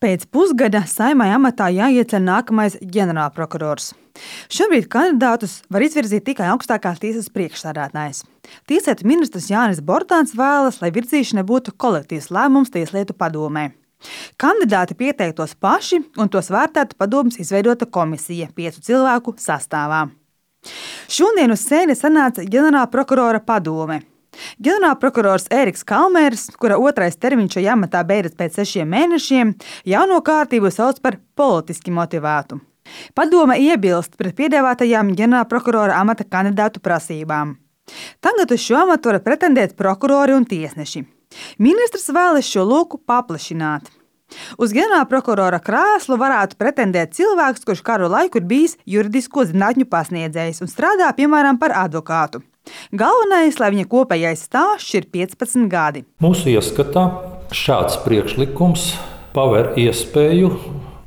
Pēc pusgada Saeimai amatā jāieceļ nākamais ģenerālprokurors. Šobrīd kandidātus var izvirzīt tikai augstākās tiesas priekšsēdētājs. Tieslietu ministrs Jānis Bordāns vēlas, lai virzīšana būtu kolektīvs lēmums Tieslietu padomē. Kandidāti pieteiktos paši, un tos vērtētu padomes izveidota komisija 5 cilvēku sastāvā. Šodien uz sēdi sanāca ģenerālprokurora padome. Ģenerālprokurors Ēriks Kalmērs, kura otrais termiņš šajā amatā beidzas pēc 6 mēnešiem, jauno kārtību sauc par politiski motivētu. Padome iebilst pret piedāvātajām ģenerālprokurora amata kandidātu prasībām. Tagad uz šo amatu var pretendēt prokurori un tiesneši. Ministrs vēlas šo loku paplašināt. Uz ģenerālprokurora krēslu varētu pretendēt cilvēks, kurš karu laiku ir bijis juridisko zinātņu pasniedzējs un strādā, piemēram, par advokātu. Galvenais, lai viņa kopējais stāsts ir 15 gadi. Mūsu ieskatā šāds priekšlikums paver iespēju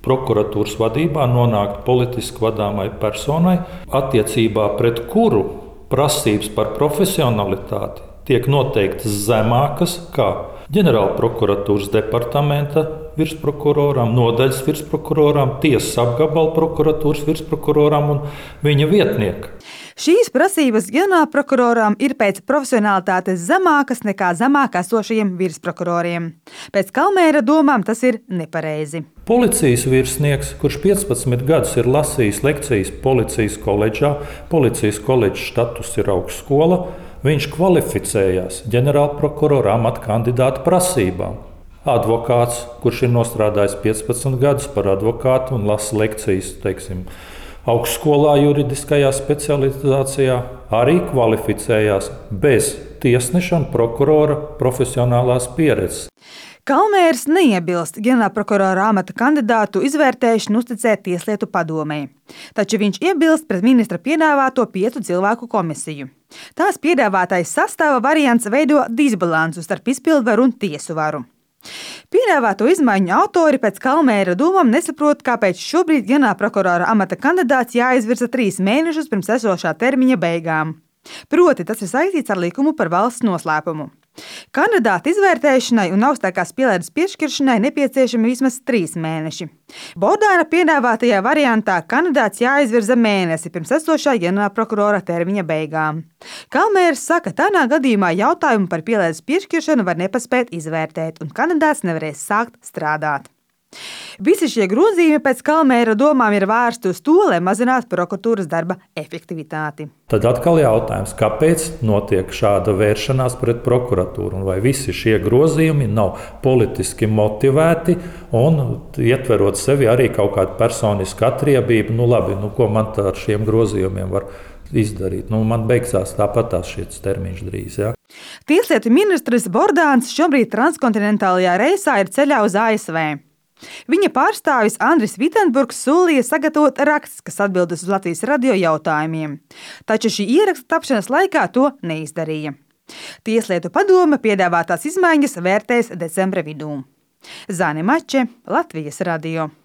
prokuratūras vadībā nonākt politiski vadāmai personai, attiecībā pret kuru prasības par profesionalitāti tiek noteiktas zemākas kā ģenerālprokuratūras departamenta virsprokuroram, nodaļas virsprokuroram, tiesas apgabala prokuratūras virsprokuroram un viņa vietniekam. Šīs prasības ģenerālprokuroram ir pēc profesionalitātes zemākas nekā zemāk esošajiem virsprokuroriem. Pēc Kalmēra domām tas ir nepareizi. Policijas virsnieks, kurš 15 gadus ir lasījis lekcijas policijas koledžā, policijas koledžas status ir augstskola, viņš kvalificējās ģenerālprokurora amata kandidāta prasībām. Advokāts, kurš ir nostrādājis 15 gadus par advokātu un lasa lekcijas, augstskolā juridiskajā specializācijā, arī kvalificējās bez tiesneša un prokurora profesionālās pieredzes. Kalmērs neiebilst ģenerālprokurora amata kandidātu izvērtēšanu uzticēt Tieslietu padomei, taču viņš iebilst pret ministra piedāvāto 5 cilvēku komisiju. Tās piedāvātais sastāva variants veido disbalansu starp izpildvaru un tiesu varu. Piedāvāto izmaiņu autori pēc Kalmēra domām nesaprot, kāpēc šobrīd ģenerālprokurora amata kandidāts jāizvirza 3 mēnešus pirms esošā termiņa beigām. Proti, tas ir saistīts ar likumu par valsts noslēpumu. Kandidāta izvērtēšanai un augstākās pielādes piešķiršanai nepieciešami vismaz 3 mēneši. Bordāna piedāvātajā variantā kandidāts jāizvirza mēnesi pirms esošā ģenerālprokurora termiņa beigām. Kalmērs saka, tādā gadījumā jautājumu par pielādes piešķiršanu var nepaspēt izvērtēt, un kandidāts nevarēs sākt strādāt. Visi šie grozījumi pēc Kalmēra domām ir vērsti uz to, lai mazinātu prokuratūras darba efektivitāti. Tad atkal jautājums, kāpēc notiek šāda vēršanās pret prokuratūru, un vai visi šie grozījumi nav politiski motivēti un ietverot sevi arī kaut kādu personisku atriebību. Ko man ar šiem grozījumiem var izdarīt? Man beigsies tāpat šis termiņš drīz. Ja? Tieslietu ministrs Bordāns šobrīd transkontinentālajā reisā ir ceļā uz ASV. Viņa pārstāvis Andris Vitenburgs solīja sagatavot raksts, kas atbildes uz Latvijas radio jautājumiem, taču šī ieraksta tapšanas laikā to neizdarīja. Tieslietu padome piedāvātās izmaiņas vērtēs decembra vidū. Zane Mače, Latvijas radio.